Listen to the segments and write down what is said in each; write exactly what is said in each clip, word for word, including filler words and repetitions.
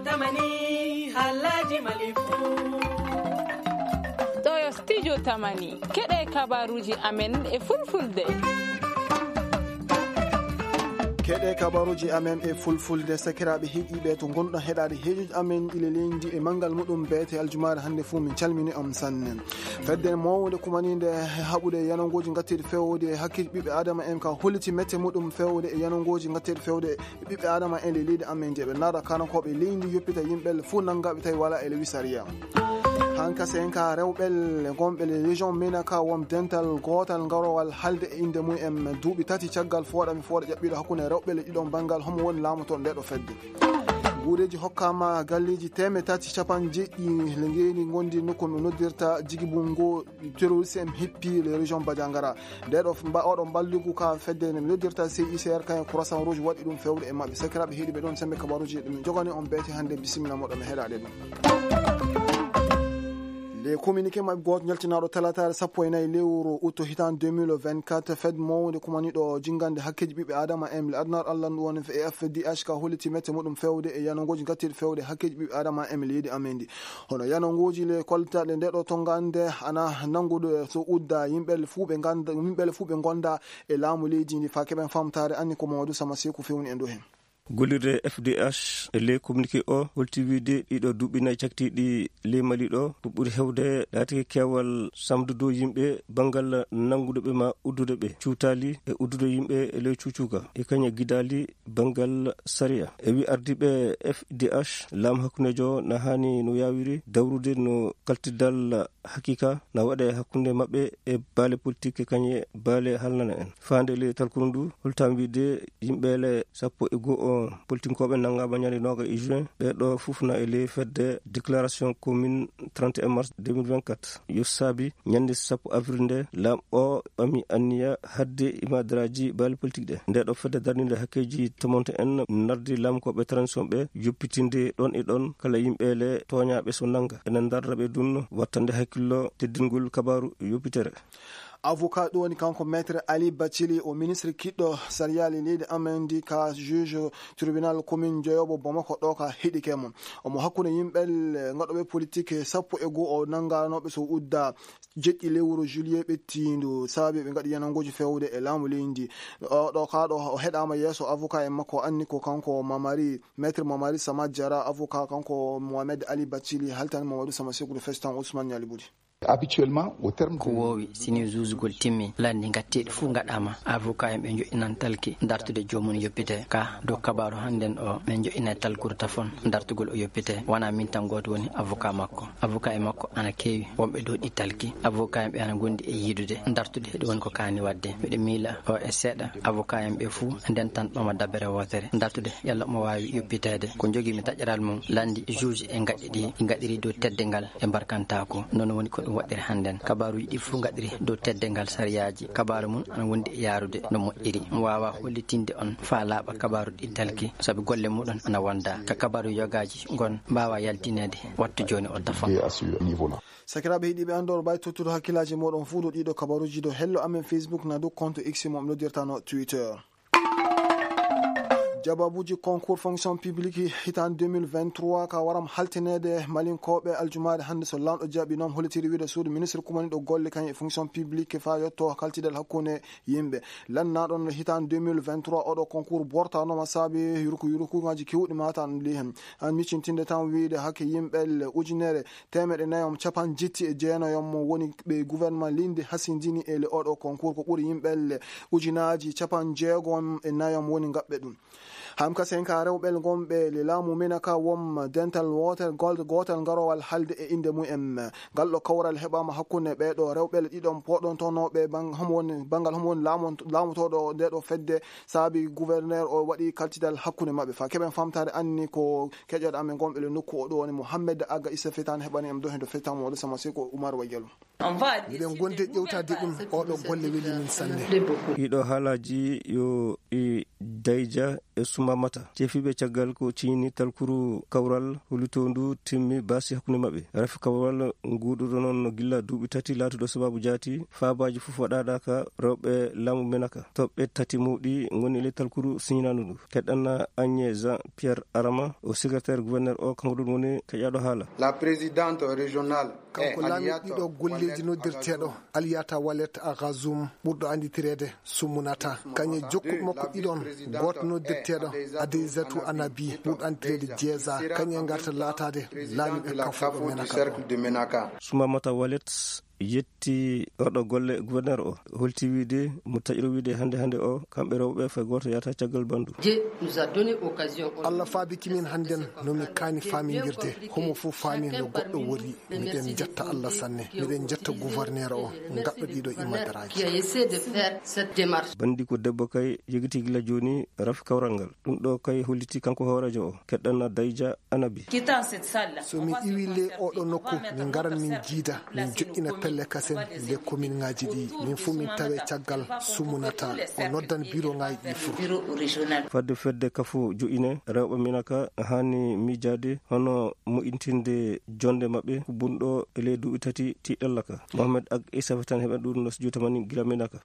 Tamani, halaji malifu. Ɗo yo studio Tamani. Keɗe kabaruji amen e fulfulde. Keɗe kabaruji amen e fulfulde, sakiraaɓe heɗiiɓe to ngonɗon heɗaade heejuji amen ɗi le leydi e manngal muɗum beete aljumaare hannde fuu, min calmini on sanne. Fedde mawnde kumaninde haɓude e yanangooji ngatteeɗi feewde e hakkeeji ɓiɓɓe Aadama en ka holliti mette muɗum feewde e yanangooji ngatteeɗi feewde e ɓiɓɓe Aadama en e leydi amen, nde ɓe naata kanankooɓe leydi yoppita yimɓe fuu nanngaaɓe tawi wala e lewi sariya. Hankase en ka rewɓe gonɓe le région Menaka won dental gootal ngarowal halde e innde mum en duuɓi tati caggal fooɗa mi fooɗa ƴaɓɓiɗo hakkunde rewɓe le ɗiɗon banngal homo woni laamoto nde ɗo fedde. Guureeji hokkama galleeji teemeɗɗe tati capanɗe jeeɗiɗi le ngeeni ngondi nokku no noddirta Jigibu ngo terroriste en hippi le région Badiangara. Nde ɗo mba-, oɗo mballigu ka fedde ne noddirta C I C R kayen Croissant Rouge waɗi ɗum fewde e maɓɓe. Sakiraaɓe heɗiiɓe ɗon sembe kabaruji ɗum jogani on beete hannde. Bisimilla moɗon mi heɗaade ɗum. Le communiqué maɓɓe gooto jaltinaaɗo talataare sappo e nayi lewru août hitaan deux mille vingt-quatre, fed mawnde kumaniɗo jingande hakkeeji ɓiɓɓe Adama en le adnar Allah ndu woni F D H ka holliti mette muɗum fewde e yanangooji ngattiiɗi fewde hakkeeji ɓiɓɓe Adama en leydi amen ndi. Hono yanangooji le koltaɗe nde ɗo tongande ana nanngude so udda yimɓe le fuu ɓe ngannda, yimɓe le fuu ɓe ngonda e laamu leydi ndi fa keɓen famtaare anni ko Mamadou Sama Seku fewni en ɗo hen. Gollirde F D H e ley communiqué o holti wiide ɗiɗo duuɓi nayi caktiiɗi ley Mali ɗo ko ɓuri hewde laatike keewal samdude yimɓe banngal nanngude ɓe ma uddude ɓe cuutaali e uddude yimɓe e ley cuucuuka e kañe gidaali banngal sariya. E wi ardiiɓe F D H, laamu hakkundeejo na haani no yaawiri dawrude no kaltidal hakiika na waɗe hakkunde maɓɓe e baale politik e kañe baale halnana en. Faande le talkuru ndu holtam wiide yimɓe le sappo e goo o politinkooɓe nanngaama ñande nooga e juin, ɓe ɗo fof na e ley fedde déclaration commune trente et un mars deux mille vingt-quatre. Yo saabi ñande sappo avril nde laam o ɓami anniya hadde imadaraaji baali politik ɗe. Nde ɗo fedde darninde hakkeeji tomonto en nardi laamkooɓe transition ɓe yoppitinde ɗon e ɗon kala yimɓe le tooñaaɓe so nannga. Ene ndarra ɓe ɗum wattande hakkillo teddingol kabaaru yoppitere. Avocat ɗo woni kanko Maître Ali Bathily, o ministre kiɗɗo sariyaali leydi amen ndi ka juge tribunal commune joyobo Bamako ɗo ka heɗike mo. Omo hakkunde yimɓe le ngaɗoɓe politik sappo e goo o nannganooɓe so udda jeɗɗi lewru juillet ɓettiindu, saabi ɓe ngaɗi yanangooji fewde e laamu leydi. O ɗo ka ɗo o heɗaama yeeso avocat en makko anni ko kanko Mamari, Maître Mamari Samad Diarra, avocat kanko Mohamed Ali Bathily, haltani Mamadou Sama Seku ɗo festan Ousmane Niali Boury. Habituellement, au terme ko de woowi, si ni zuusugol timmi, lanndi ngatteeɗi fuu ngaɗaama, avocat en ɓe njoƴƴinan talki dartude joomum yoppite. Ka dow kabaaru hannden o, min njoƴƴinay talkuru tafon dartugol o yoppite. Wonaa min tan gooto woni avocat makko. Avocat e makko ana keewi, wonɓe dow ɗi talki. Avocat en ɓe ana ngondi e yiidude dartude, ɗum woni ko kaani waɗde. Miɗo miila o e seeɗa avocat en ɓe fuu ndentan ɓama dabere wootere dartude yalla omo waawi yoppiteede. Ko njogii mi taƴaral mum, lanndi juge e ngaɗɗi ɗi, ngaɗiri dow teddingal e mbarkantaako. Noon woni ko ɗum waɗɗiri hannden. Kabaaruuji ɗi fuu ngaɗiri dow teddingal sariyaaji. Kabaaru mum ana wondi e yaarude no moƴƴiri. Mi waawaa hollitinde on faa laaɓa kabaaru ɗi talki, sabi golle muɗum ana wonda. Ka kabaaru yogaaji ngon mbaawaa yaltineede wattu jooni o tafon. Sakiraaɓe heɗiiɓe, anndor ɓay tottude hakkillaaji mooɗon fuu dow ɗiɗo kabaaruuji dow hello amen Facebook na dow compte X mo mi noddirta no Twitter. Jababuuji concours fonction publique hitaan deux mille vingt-trois ka waram haltineede Malinkooɓe aljumaare hannde so laamɗo jaɓi noon hollitiri wiide suudu ministre kumaniɗo golle kañum e fonction publique faa yotto kaltidal hakkunde yimɓe. Lannaaɗon hitaan deux mille vingt-trois oɗo concours bortanooma saabi yurku yurkuŋaaji kewɗi matan li hen. An miccintinde tan wiide hakke yimɓe le ujunere teemeɗɗe nayo capanɗe jetti e jeenayo mo woni ɓe gouvernement leydi hasindini e le oɗo concours ko ɓuri yimɓe le ujunaaji capanɗe jeego e nayo mo woni ngaɓɓe ɗum. Hamka senka rewɓe gonɓe le laamu mena ka wom dental wootel gol-, gootal ngarowal halde e innde mum en. Ngal ɗo kawral heɓaama hakkunde ɓee ɗo rewɓe le ɗiɗon poɗontonooɓe ban-, homo woni, banngal homo woni laamon-, laamotooɗo nde ɗo fedde saabi gouverneur o waɗi kaltidal hakkunde maɓɓe. Faa keɓen famtaare anni ko keƴoɗo amen gonɓe le nokku o ɗo woni Mohammed Aga Issa Fetan heɓani en ɗo heen to Fetan mo Sama Seko Umar Wajalo. Miɗen gondi e ƴewtaade ɗum, oɗo golle weli min sanne. Ɗiɗo haalaaji yo ɗi Dayja e Sumamata, cefiiɓe caggal ko ciñini talkuru kawral, hollitoo ndu timmi baasi hakkunde maɓɓe. Rafi kawral nguuɗuɗo noon gilla duuɓi tati, laatuɗo sabaabu jaati, faabaaji fof waɗaɗa ka rewɓe laamu Menaka. Toɓɓe tati mawɗi ngoni e ley talkuru siñinaandu ndu. Keɗɗanna Agnès Jean Pierre Arama, o secrétaire gouverneur o, kanko ɗum woni keƴaɗo haala. La présidente régionale. Kanko laamiɗo ɗiɗo golleeji noddirteeɗo Aliyata Walet Agazum, ɓurɗo annditireede Sumunata. Kañe jokkuɓe makko ɗiɗon, gooto noddirteeɗo Adeizatu Anabi, ɓurɗo annditireede Jeeza. Kañe ngarta laataade laamiiɓe kafuɗo Menaka. Sumamata Walet yetti oɗo golle gouverneur o, holti wiide mo taƴiro wiide hannde hannde o, kamɓe rewɓe fay gooto yahata caggal bandu. Dieu nous a donné occasion. Allah faabiki min hannden no mi kaani faamindirde, homo fof faami no goɗɗo woni. Miɗen njetta Allah sanne, miɗen njetta gouverneur o, ngaɗɗo ɗiɗo imadaraaji. Qui a essayé de faire cette démarche. Bandi ko debbo kay yegiti gila jooni rafi kawral ngal. Ɗum ɗo kay holliti kanko hooreejo o, keɗɗanna Dayja Anabi. Quittant cette salle-là, so mi iwi le oɗo nokku, min ngaran min jiida, min joɗɗina pelle kasen le commune ngaji ɗi, min fof min tawe caggal Sumunata, o noddan bureau ngaji ɗi fof. Bureau régional. Fadde fedde kafo joƴine rewɓe Minaka hani miijaade hono moƴƴintinde jonde maɓɓe bunɗo e ley duuɓi tati tiiɗalla ka. Mohamed Ag Issa Fatan heɓen ɗum no studio tamani gila Minaka.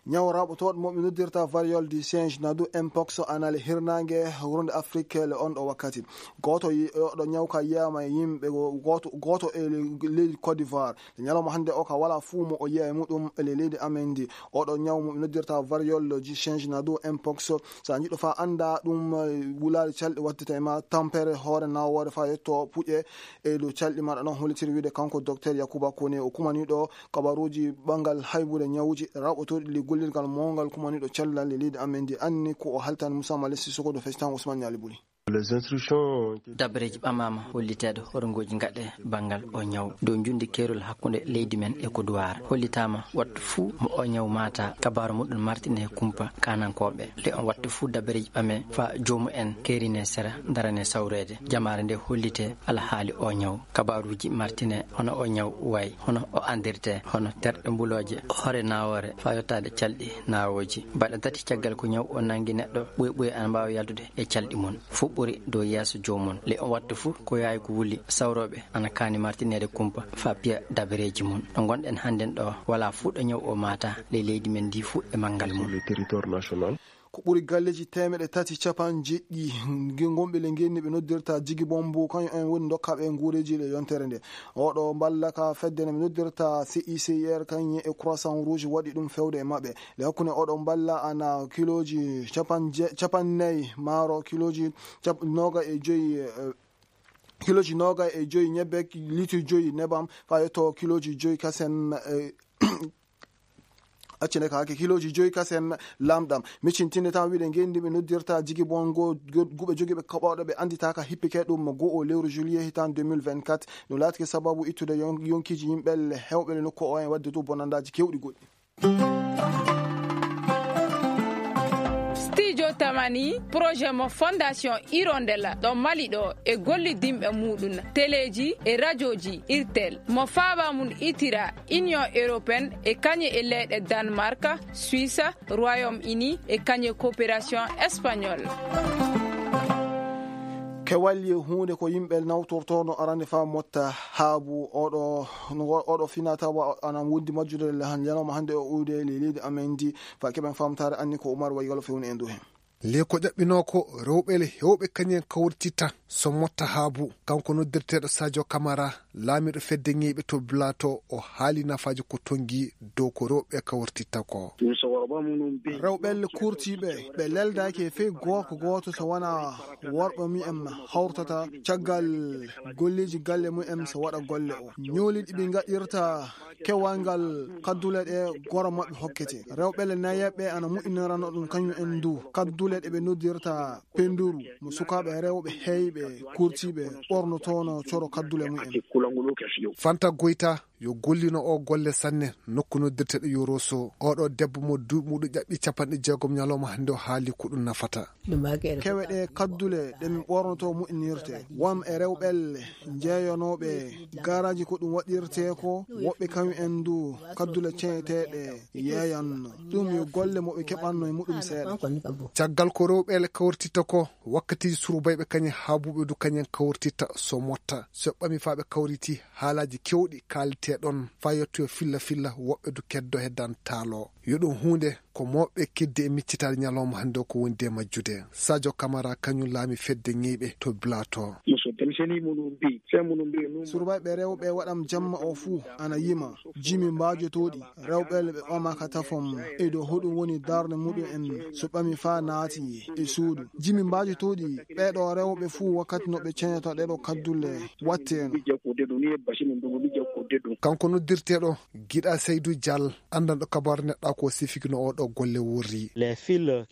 Ñaw raɓotooɗo mo ɓe noddirta variole du singe nadu mpox anale hirnaange wurnde Afrique le on ɗo wakkati. Gooto yi-, oɗo ñaw ka yiyama e yimɓe go-, gooto, gooto e le-, leydi Côte d'Ivoire. Le ñalawma hannde o ka wala fuu mo o yiya e muɗum e le leydi amen ndi. Oɗo ñaw mo ɓe noddirta variole du singe nadu mpox. So a jiɗɗo fa annda ɗum, eh, wulaari calɗi waddata e ma tampere hoore nawoore fa yetto puƴe e dow calɗi maɗa ɗon hollitiri wiide kanko docteur Yakuba Kone o kumaniɗo kabaruuji ɓanngal haybude ñawuji raɓɓotooɗi le gollirgal mawngal kumaniiɗo cellal e leydi amen ndi anni ko o haltani Moussa Malessi Sokodo Festan Ousmane Ñaali Buli. Les instructions. Dabareeji ɓamaama holliteeɗo horngooji ngaɗe banngal o ñaw dow njundi keerol hakkunde leydi men e ko duwaara. Hollitaama wattu fuu mo o ñaw maata kabaaru muɗum martine e kumpa kaanankooɓe. Le on wattu fuu dabareeji ɓame fa joomu en keerine sera darane sawreede. Jamaare nde hollite alhaali o ñaw. Kabaaruuji martine hono o ñaw wayi, hono o anndirte, hono terɗe mbulooje, hoore nawoore, faa yottaade calɗi nawooji. Baɗa tati caggal ko ñaw o nanngi neɗɗo, ɓuy ɓuy ana mbaawa yaltude e calɗi mum. Fuɓɓori dow yeeso joomum. Le on wattu fuu ko yaawi ko wuli, sawrooɓe ana kaani martineede kumpa faa piya dabareeji mum. Ɗo ngonɗen hannden ɗo, walaa fuu ɗo ñaw o maata, ley leydi men ndi fuu e manngal mum. Sur le territoire national. Ko ɓuri galleeji teemeɗɗe tati capanɗe jeeɗiɗi nge-, gonɓe le ngenni ɓe noddirta Jigi Bombo, kañum en woni dokkaaɓe e nguureeji le yontere nde. Oɗo mballa ka fedde nde ɓe noddirta C I C R, kañum e Croissant Rouge waɗi ɗum fewde e maɓɓe. Le hakkunde oɗo mballa ana kilooji capanɗe je-, capanɗe nayi maaro, kilooji cap-, noogay e joyi, eh, kilooji noogay e joyi ñebbe, litre joyi nebam, faa yetto kilooji joyi kasen, eh, accinde ka hakke kilooji joyi kasen lamɗam. Miccintinde tan wiide ngenndi ɓe noddirta Jigi Bongo, go-, guɓe jogiiɓe kaɓooɗe ɓe annditaaka hippike ɗum go o lewru juillet hitaan deux mille vingt-quatre. Ɗum laatike sababu ittude yon-, yonkiiji yimɓe le hewɓe le nokku o en waɗde dow bonandaaji kewɗi goɗɗi. Studio Tamani, projet mo Fondation Hirondella ɗo Mali ɗo e gollidinɓe muɗum, teleeji e rajooji Irtel, mo faaba mum itira Union Européenne e kañe e leyɗe Danemark, Suisse, Royaume-Uni e kañe coopération espagnole. Kewalli e huunde ko yimɓe nawtortoono arande faa motta haabu oɗo, oɗo finatawa ana wondi majjude le han ñalawma hannde o uude le leydi amen ndi. Faa keɓen famtaare anni ko Umar Waygalo fewni en dow hen. Le ko ƴaɓɓinoo ko rewɓe le hewɓe kañen kawrititta so motta haabu. Kanko noddirteeɗo Sadio Camara, laamiiɗo fedde ŋeyɓe to Blato, o haali nafaaji ko tongi dow ko rewɓe kawrititta ko. Rewɓe le kurtiiɓe, ɓe leldaaki e fey gorko gooto so wonaa worɓe mumen hawrtata caggal golleeji galle mumen so waɗa golle o. Ñooli ɗi ɓe ngaɗirta kewal ngal kaddule ɗe goro maɓɓe hokkete. Rewɓe le nayeeɓe ana moƴƴinirano ɗum kañum en du. Kaddule ɗe ɓe noddirta penduru mo sukaaɓe rewɓe heyɓe kurtiiɓe ɓornotoono coro kaddule mumen. Fanta Goyta, yo gollino o golle sanne nokku noddirteɗo Yoroso. Oɗo debbo mo duuɓi muɗum ƴaɓɓi capanɗe jeegom ñalawma hannde o haali ko ɗum nafata. Kewe ɗe kaddule ɗe min ɓornoto moƴƴinirte. Won e rewɓelle jeeyanooɓe gaaraaji ko ɗum waɗirte ko, woɓɓe kañum en du kaddule ceñeteeɗe yeeyanno. Ɗum yo golle mo ɓe keɓanno e muɗum seeɗa. Caggal ko rewɓeele kawrititta ko, wakkatiiji surbayɓe kañum haabuɓe du kañum kawrititta so motta. So ɓami faa ɓe kawriti, haalaaji keewɗi kaalite ɗon faa yettoyo filla filla, woɓɓe du keddo heddan taalo. Yo ɗum huunde ko mawɓe keddi e miccitaade ñalawma hannde o ko wondi e majjude. Sadio Camara kañum laami fedde ñeyɓe to Blato. Surbayɓe rewɓe waɗam jamma o fuu ana yima jimi mbaajotooɗi. Rewɓe le ɓe ɓama ka tafam e dow hoɗum woni darnde muɗum en so ɓami faa naati e suudu. Jimi mbaajotooɗi ɓeeɗo rewɓe fuu wakkati no ɓe ceñata ɗeɗo kaddule watteno. Kanko noddirteeɗo Giɗa Seydu Dial, anndanɗo kabaru neɗɗaaku o sifiki no oɗo golle wurri.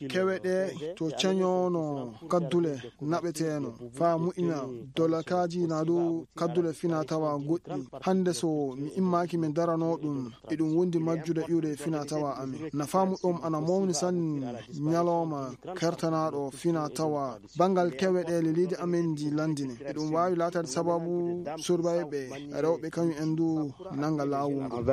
Kewe ɗe to ceñono kaddule naɓeteeno faa mu'ina dolakaaji na dow kaddule fina tawa goɗɗi. Hannde so mi immaaki mi darano ɗum, eɗum wondi majjude iwde fina tawa amin. Nafaamu ɗum ana mawni sanne ñalawma kertanaaɗo fina tawa banngal kewe ɗe leliidi amen ndi lanndini. Eɗum waawi laataade sababu surbayɓe rewɓe kañum en du nannga laawol ngol.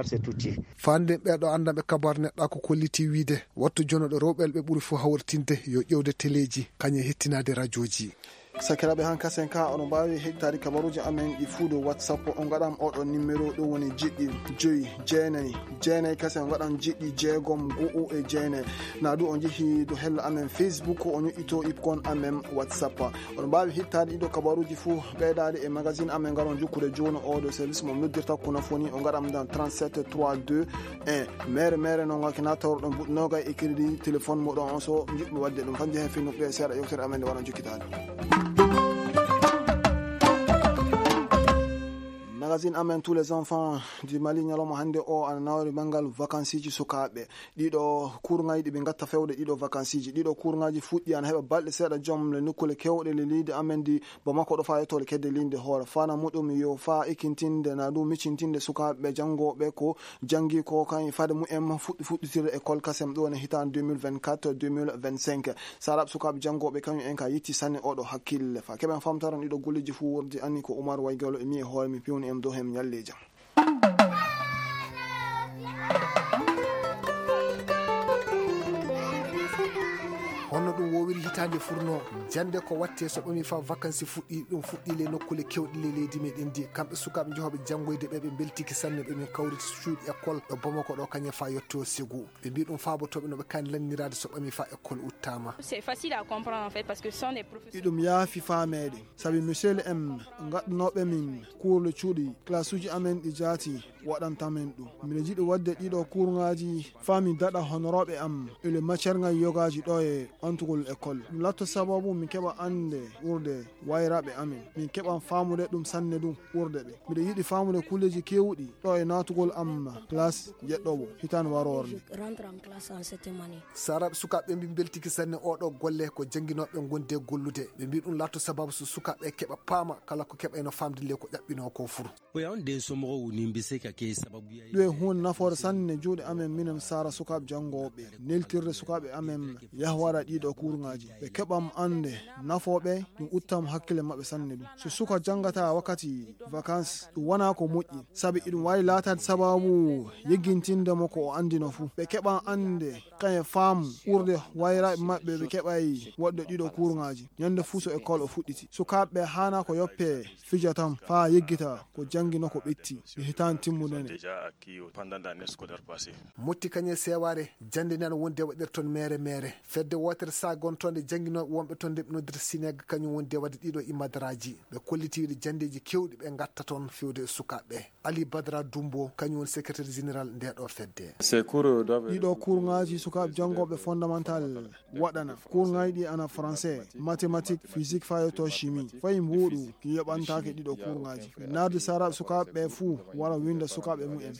Faande ɓeeɗo anndanɓe kabaru neɗɗaaku kolliti wiyde, wattu jonoɗo rewɓe ɓe ɓuri fof hawritinde yo ƴeewde teleeji, kañum e hettinaade rajooji. Sakiraaɓe, han kasen ka, oɗon mbaawi heɗitaade kabaruuji amen ɗi fuu dow WhatsApp. On ngaɗam oɗo numéro, ɗum woni jeɗɗi joyi jeenayi jeenayi kasen, on ngaɗam jeɗɗi jeegom go'o e jeenayi. Na du on njehi dow hello amen Facebook, on ñoƴƴito ipkon amen WhatsApp. Oɗon mbaawi heɗitaade ɗiɗo kabaruuji fuu ɓeydaade e magazine amen, ngaron jokkude jooni o dow service mo noddirta kono foni, on ngaɗam dan trente-sept trois deux un. Mere mere no ngaki na tawruɗon buɗɗo nogay e crédit téléphone moɗon on so njiɗmi waɗde ɗum. Kan jehe fennuɓe seeɗa yewtere amen nde waɗan jokkitaade. Magazine amen tous les enfants du Mali ñalawma hannde o ana nawri banngal vacances ji sukaaɓe. Ɗiɗo kurŋaaji ɗi ɓe ngatta fewde ɗiɗo vacances ji. Ɗiɗo kurŋaaji fuɗɗi ana heɓa balɗe seeɗa joom le nokkule kewɗe le leydi amen ndi Bamako ɗo faa e tole kedde linde hoore. Fana muɗum yo faa ikkintinde na ɗum miccintinde sukaaɓe janngooɓe ko janngi ko kañ fade mumen fuɗɗi fuɗɗitirde école kasem ɗo ne hitaande deux mille vingt-quatre deux mille vingt-cinq. Saraaɓe sukaaɓe janngooɓe kañum en ka yetti sanne oɗo hakkille. Fa keɓen famtaron ɗiɗo golleji fuu wurdi anni ko Oumar Waygalo e mi e hoore mi pewni en dow hem ñalleeja. Honno ɗum wowiri hitaande furno? Jannde ko watte so ɓami fa vacances fuɗɗi, ɗum fuɗɗi le nokkule kewɗi le leydi meɗen ndi. Kamɓe sukaaɓe jehooɓe janngoyde ɓe, ɓe mbeltiki sanne, ɓe min kawriti cuuɗi école ɗo Bamako ɗo kañe fa yetto Ségou. Ɓe mbi ɗum faabotooɓe no ɓe kaani lanniraade so ɓami fa école uttaama. C'est facile à comprendre en fait parce que ce sont des professeurs. Iɗum yaafi faameede. Sabi monsieur le M gaɗanooɓe min kuurle cuuɗi, classe uji amen ɗi jaati waɗanta men ɗum. Miɗo jiɗi waɗde ɗiɗo kuurŋaaji faa mi daɗa honorooɓe am e le matière ŋaaji yogaaji ɗo e ɓantugol école. Ɗum latto sababu min keɓa annde ɓurde wayraaɓe amen. Min keɓan faamude ɗum sanne ɗum ɓurde ɓe. Miɗo yiɗi faamude kulleeji keewɗi ɗo e naatugol am classe jeɗɗowo hitaande waroore nde. Saraaɓe sukaaɓe ɓe mbi mbeltiki sanne oɗo golle ko jannginooɓe ngonde gollude. Ɓe mbi ɗum laatto sababu so sukaaɓe keɓa paama kala ko keɓayno faamde le ko ƴaɓɓinoo ko fur. Ɗum e huunde nafoore sanne juuɗe amen minen sara sukaaɓe janngooɓe. Neltirde sukaaɓe amen yahwara ɗiɗo kuurŋaaji. Ɓe keɓam annde nafooɓe ɗum uttam hakkille maɓɓe sanne ɗum. So suka janngata wakkati vacances ɗum wona ko moƴƴi. Sabi iɗum waawi laataade sababu yeggintinde mo ko o anndino fuu. Ɓe keɓan annde kañe faamu ɓurde wayraaɓe maɓɓe ɓe keɓay waɗde ɗiɗo kuurŋaaji. Ñande fuu so école o fuɗɗiti. Sukaaɓe ɓe haana ko yoppe fija tan faa yeggita ko jannginoo ko ɓetti e hitaande timmude nde. Motti kañe seewaare jannde nde ana wondi e waɗirton mere mere. Fedde wootere sagontonde jannginooɓe wonɓe toon nde ɓe noddirta sineg kañum wondi e waɗde ɗiɗo imadaraaji. Ɓe kolliti wiide janndeeji keewɗi ɓe ngatta toon fewde e sukaaɓe ɓe. Ali Badra Dumbo, kañum woni secrétaire général nde ɗo fedde. Ɗiɗo kurŋaaji sukaaɓe janngooɓe fondamental waɗana. Kurŋaaji ɗi ana français, mathématique, physique, faa yetto chimie. Fayi mbuuɗu yoɓantaake ɗiɗo kurŋaaji. Naarde saraaɓe sukaaɓe ɓe fuu wara winnda sukaaɓe mumen.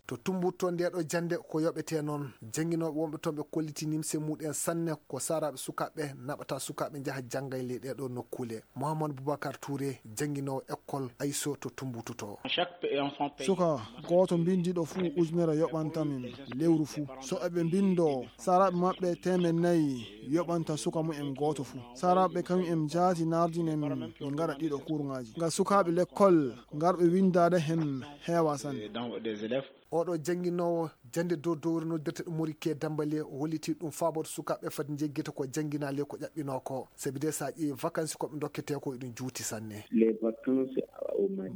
To Tumbutu to nde ɗo jannde ko yoɓete noon. Jannginooɓe wonɓe toon ɓe kolliti nimse mumen sanne ko saaraaɓe sukaaɓe naɓata sukaaɓe njaha jannga e ley ɗee ɗo nokkuule. Mouhamadou Boubacar Touré, jannginoowo école Ayso to Tumbutu to. Suka gooto mbinndiiɗo fuu ujunere yoɓanta min lewru fuu. So eɓe mbinndoo saaraaɓe maɓɓe teemed nayi yoɓanta suka mumen gooto fuu. Saaraaɓe kañum en njaati nardinen min ngaɗa ɗiɗo kurŋaaji. Ngam sukaaɓe lekkol ngarɓe winndaade heen heewaa sanne. Oɗo jannginoowo jannde dow dowre noddirte ɗum Morikiye Dambale o hollitii ɗum faabooto sukaaɓe fad njeggita ko jannginaa ley ko ƴaɓɓinoo ko. Sabi de so a ƴeewi vakansi ko ɓe ndokketee ko eɗum juuti sanne.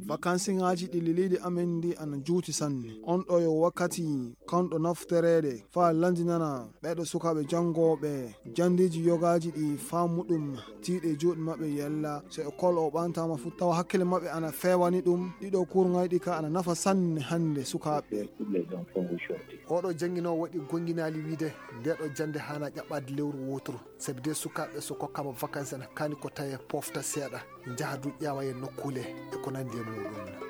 Vakansiŋaaji ɗi leydi amen ndi ana juuti sanne. On ɗo yo wakkati kanɗo naftoreede faa lanndinana ɓeeɗo sukaaɓe janngooɓe janndeeji yogaaji ɗi faamu ɗum tiiɗe juuɗe maɓɓe yalla so e kol o ɓantaama fu tawa hakkille maɓɓe ana feewani ɗum. Ɗiɗo kurŋayɗi ka ana nafa sanne hannde sukaaɓe. Oɗo jannginoowo waɗi gonnginaali wiide ndeeɗo jannde haana ƴaɓɓaade lewru wooturu. Sabi de sukaaɓe so kokkaama vakansi ana kaani ko tawee pofta seeɗa njaha du ƴeewa e nokkuule e ko nanndi e muuɗum.